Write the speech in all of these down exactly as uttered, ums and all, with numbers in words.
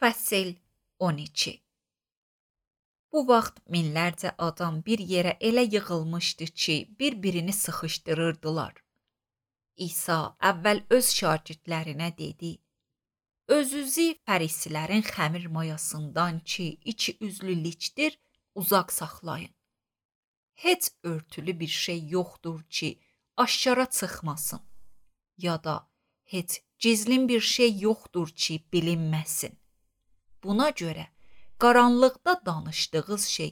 Fəsil on iki. Bu vaxt minlərcə adam bir yerə elə yığılmışdı ki, bir-birini sıxışdırırdılar. İsa əvvəl öz şagirdlərinə dedi: Özünüzü fərisilərin xəmir mayasından ki, içi üzlü liçdir, uzaq saxlayın. Heç örtülü bir şey yoxdur ki, aşkara çıxmasın, ya da heç gizlin bir şey yoxdur ki, bilinməsin. Buna görə qaranlıqda danışdığınız şey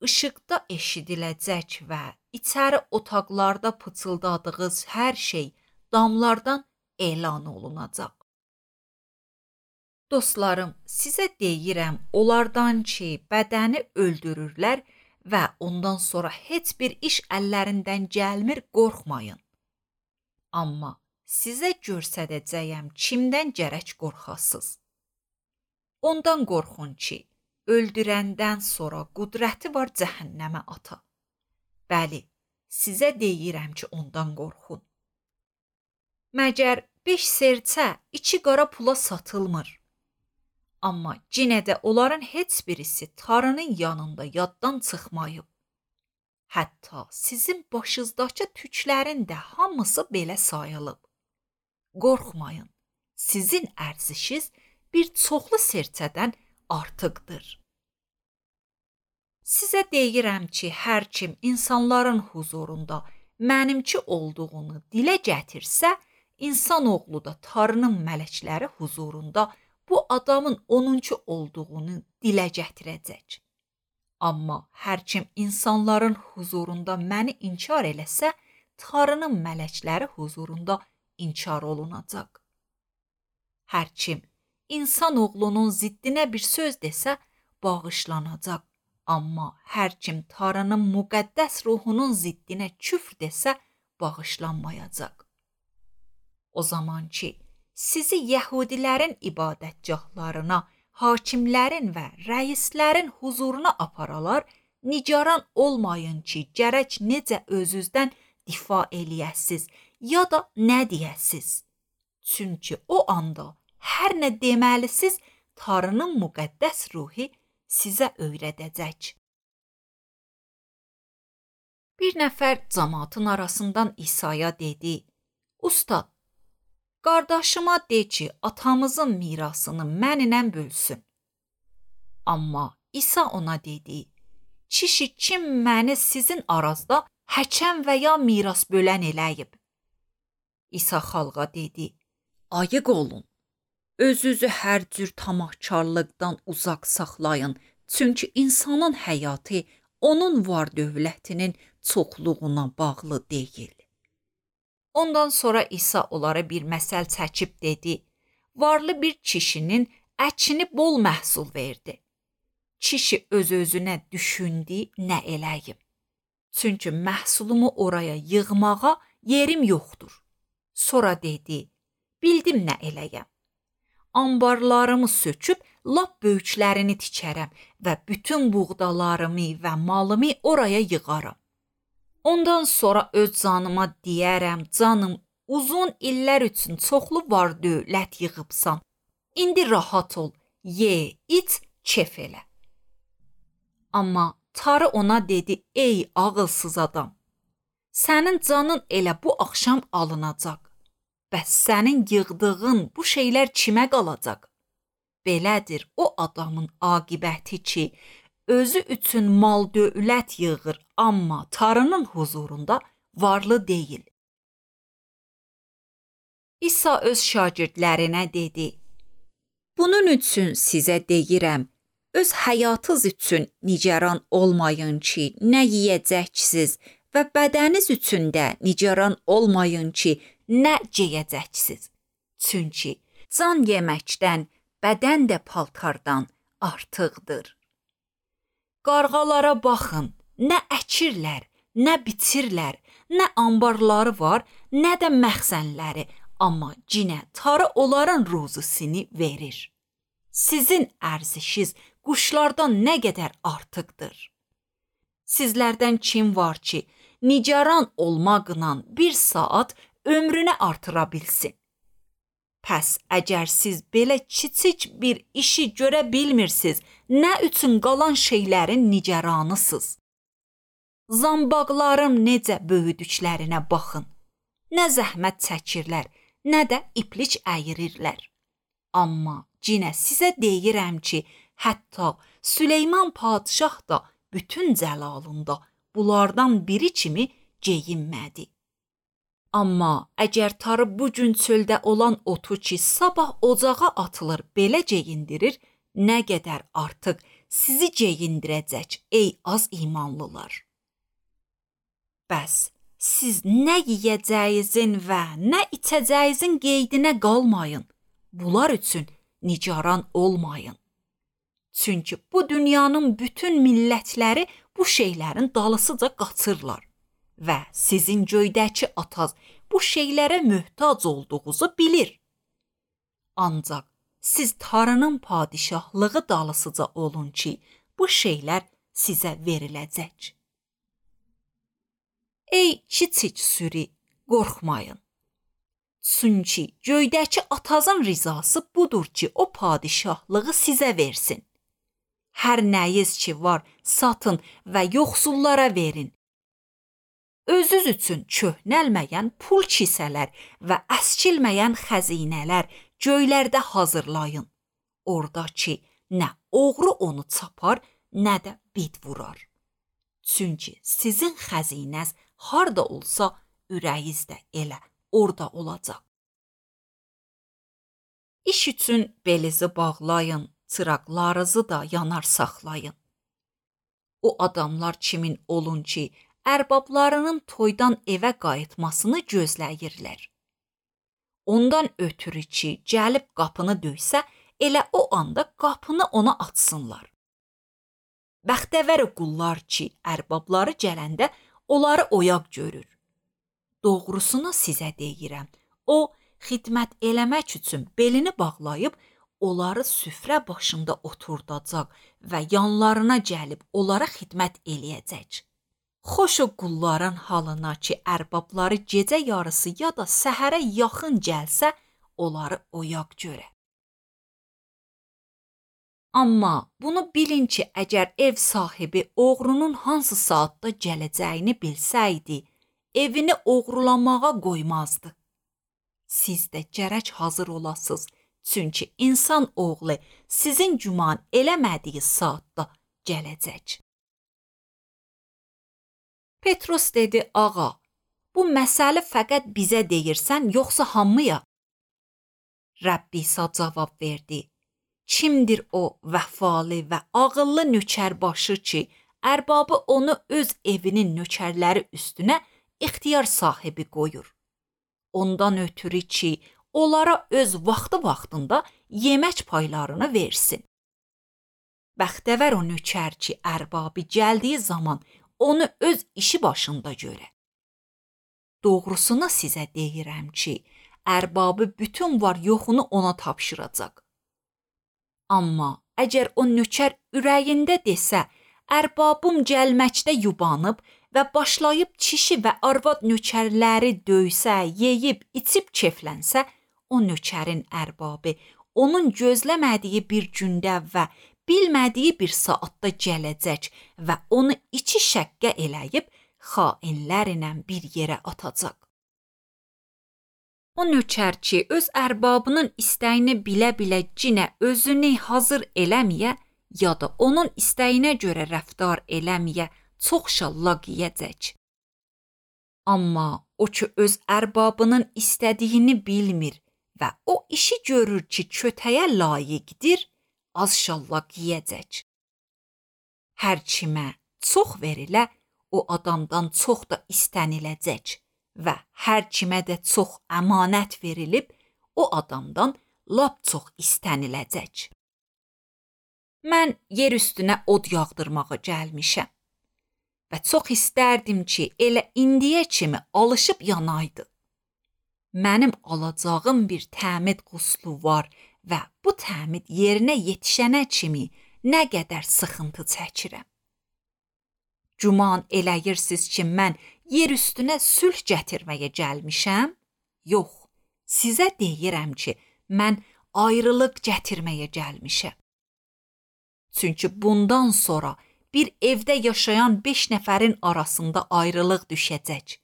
işıqda eşidiləcək və içəri otaqlarda pıçıldadığınız hər şey damlardan elan olunacaq. Dostlarım, sizə deyirəm, onlardan ki, bədəni öldürürlər və ondan sonra heç bir iş əllərindən gəlmir, qorxmayın. Amma sizə göstərəcəyəm kimdən gərək qorxasınız. Ondan qorxun ki, öldürəndən sonra qüdrəti var cəhənnəmə ata. Bəli, sizə deyirəm ki, ondan qorxun. Məgər beş serçə iki qara pula satılmır. Amma yenə də onların heç birisi tarının yanında yaddan çıxmayıb. Hətta sizin başınızdakı tüklərin də hamısı belə sayılıb. Qorxmayın, sizin ərzişiniz bir çoxlu serçədən artıqdır. Sizə deyirəm ki, hər kim insanların huzurunda mənimki olduğunu dilə gətirsə, insan oğlu da Tanrının mələkləri huzurunda bu adamın onunki olduğunu dilə gətirəcək. Amma hər kim insanların huzurunda məni inkar eləsə, Tanrının mələkləri huzurunda inkar olunacaq. Hər kim İnsan oğlunun ziddinə bir söz desə, bağışlanacaq. Amma hər kim Tanrının müqəddəs ruhunun ziddinə küfr desə, bağışlanmayacaq. O zaman ki, sizi yəhudilərin ibadətgahlarına, hakimlərin və rəislərin huzuruna aparalar, nigaran olmayın ki, gərək necə özünüzdən difa eləyəsiz, ya da nə deyəsiz. Çünki o anda hər nə deməlisiz, Tanrının müqəddəs ruhi sizə öyrədəcək. Bir nəfər cəmaatın arasından İsa'ya dedi: Ustad, qardaşıma de ki, atamızın mirasını mənimlə bölsün. Amma İsa ona dedi: Kişi kim məni sizin arazda həkəm və ya miras bölən eləyib? İsa xalqa dedi: Ayıq olun. Özünüzü hər cür tamahkarlıqdan uzaq saxlayın, çünki insanın həyatı onun var dövlətinin çoxluğuna bağlı deyil. Ondan sonra İsa onlara bir məsəl çəkib dedi: Varlı bir kişinin əkini bol məhsul verdi. Kişi öz-özünə düşündü, nə eləyim? Çünki məhsulumu oraya yığmağa yerim yoxdur. Sonra dedi: Bildim nə eləyəm. Ambarlarımı söküb, lap böyüklərini tikərəm və bütün buğdalarımı və malımı oraya yığaram. Ondan sonra öz canıma deyərəm, canım, uzun illər üçün çoxlu var dövlət yığıbsan. İndi rahat ol, ye, iç, kef elə. Amma Tanrı ona dedi: Ey ağılsız adam, sənin canın elə bu axşam alınacaq. Bəs sənin yığdığın bu şeylər kimə qalacaq? Belədir o adamın aqibəti ki, özü üçün mal dövlət yığır, amma Tanrının huzurunda varlı deyil. İsa öz şagirdlərinə dedi: Bunun üçün sizə deyirəm, öz həyatınız üçün nigaran olmayın ki, nə yeyəcəksiniz və bədəniniz üçün də nigaran olmayın ki, nə geyəcəksiniz. Çünki can yeməkdən, bədən də paltardan artıqdır. Qarğalara baxın, nə əkirlər, nə biçirlər, nə ambarları var, nə də məxzənləri, amma cinə Tanrı onların ruzusunu verir. Sizin ərzişiniz quşlardan nə qədər artıqdır. Sizlərdən kim var ki, nigaran olmaqla bir saat ömrünü artıra bilsin? Pəs əgər siz belə kiçik bir işi görə bilmirsiniz, nə üçün qalan şeylərin nigaranısınız? Zambaqların necə böyüdüklərinə baxın. Nə zəhmət çəkirlər, nə də iplik əyirirlər. Amma cinə sizə deyirəm ki, hətta Süleyman padişah da bütün cəlalında bunlardan biri kimi geyinmədi. Amma əgər tarı bu gün çöldə olan otu ki, sabah ocağa atılır, belə geyindirir, nə qədər artıq sizi geyindirəcək, ey az imanlılar. Bəs siz nə yeyəcəyinizin və nə içəcəyinizin qeydinə qalmayın. Bunlar üçün nigaran olmayın. Çünki bu dünyanın bütün millətləri bu şeylərin dalısıca qaçırlar və sizin göydəki ataz bu şeylərə möhtac olduğunuzu bilir. Ancaq siz tarının padişahlığı dalısıca olun ki, bu şeylər sizə veriləcək. Ey kiçik sürü, qorxmayın. Çünki göydəki atazın rizası budur ki, o padişahlığı sizə versin. Hər nəyiz ki var, satın və yoxsullara verin. Özünüz üçün köhnəlməyən pul kisələr və əskilməyən xəzinələr göylərdə hazırlayın. Orada ki, nə oğru onu çapar, nə də bid vurar. Çünki sizin xəzinəz harda olsa, ürəyiz də elə orada olacaq. İş üçün belizi bağlayın, çıraqlarınızı da yanar saxlayın. O adamlar kimin olun ki, ərbablarının toydan evə qayıtmasını gözləyirlər. Ondan ötürü ki, gəlib qapını döysə, elə o anda qapını ona açsınlar. Bəxtəvər qullar ki, ərbabları gələndə onları oyaq görür. Doğrusunu sizə deyirəm, o, xidmət eləmək üçün belini bağlayıb, onları süfrə başında oturdacaq və yanlarına gəlib onlara xidmət eləyəcək. Xoş o qulların halına ki, ərbabları gecə yarısı ya da səhərə yaxın gəlsə, onları oyaq görə. Amma bunu bilin ki, əgər ev sahibi oğrunun hansı saatda gələcəyini bilsəydi, evini oğrulamağa qoymazdı. Siz də gərək hazır olasınız, çünki insan oğlu sizin güman eləmədiyi saatda gələcək. Petrus dedi, ağa, bu məsələ fəqət bizə deyirsən, yoxsa hamıya? Rəbbi İsa cavab verdi, kimdir o vəfalı və ağıllı nökərbaşı ki, ərbabı onu öz evinin nökərləri üstünə ixtiyar sahibi qoyur. Ondan ötürü ki, onlara öz vaxtı-vaxtında yemək paylarını versin. Bəxtəvər o nökər ki, ərbabı gəldiyi zaman onu öz işi başında görə. Doğrusunu sizə deyirəm ki, ərbabı bütün var yoxunu ona tapşıracaq. Amma əgər o nökər ürəyində desə, ərbabım gəlməkdə yubanıb və başlayıb kişi və arvad nökərləri döysə, yeyib, içib keflənsə, o nökərin ərbabı onun gözləmədiyi bir gündə və bilmədiyi bir saatda gələcək və onu iki şəqqə eləyib xainlərlə bir yerə atacaq. O nökər ki, öz ərbabının istəyini bilə-bilə cinə özünü hazır eləməyə, ya da onun istəyinə görə rəftar eləməyə çox şallaq yeyəcək. Amma o ki, öz ərbabının istədiyini bilmir və o işi görür ki, kötəyə layiqdir, az şallaq yeyəcək. Hər kimə çox verilə, o adamdan çox da istəniləcək və hər kimə də çox əmanət verilib, o adamdan lap çox istəniləcək. Mən yer üstünə od yağdırmağa gəlmişəm və çox istərdim ki, elə indiyə kimi alışıb yanaydı. Mənim alacağım bir təmid quslu var və bu təmid yerinə yetişənə kimi nə qədər sıxıntı çəkirəm. Güman eləyirsiniz ki, mən yer üstünə sülh gətirməyə gəlmişəm? Yox, sizə deyirəm ki, mən ayrılıq gətirməyə gəlmişəm. Çünki bundan sonra bir evdə yaşayan beş nəfərin arasında ayrılıq düşəcək.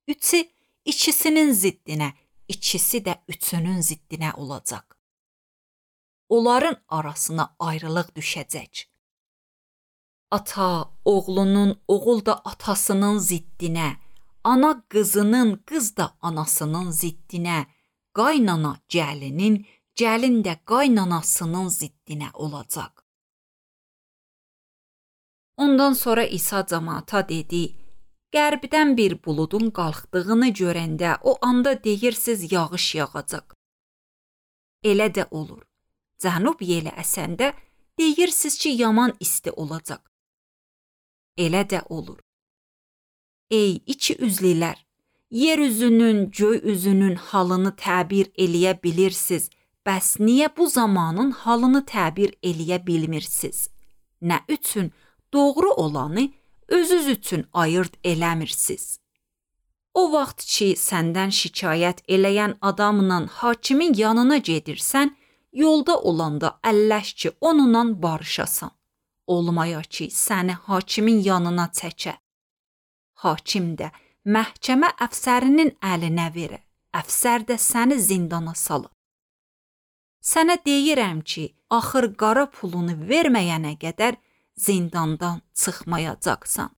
Üçü ikisinin ziddinə, ikisi də üçünün ziddinə olacaq. Onların arasına ayrılıq düşəcək. Ata oğlunun, oğul da atasının ziddinə, ana qızının, qız da anasının ziddinə, qaynana gəlinin, gəlin də qaynanasının ziddinə olacaq. Ondan sonra İsa cəmaata dedi, qərbdən bir buludun qalxdığını görəndə o anda deyirsiz yağış yağacaq. Elə də olur. Cənub yeli əsəndə deyirsiz ki, yaman isti olacaq. Elə də olur. Ey iki üzlülər, yer üzünün, göy üzünün halını təbir eləyə bilirsiniz, bəs niyə bu zamanın halını təbir eləyə bilmirsiniz? Nə üçün doğru olanı özünüz üçün ayırd eləmirsiniz? O vaxt ki, səndən şikayət eləyən adamla hakimin yanına gedirsən, yolda olanda əlləş ki, onunla barışasan. Olmaya ki, səni hakimin yanına çəkə. Hakim də məhkəmə əfsərinin əlinə verə. Əfsər də səni zindana salır. Sənə deyirəm ki, axır qara pulunu verməyənə qədər zindandan çıxmayacaqsan.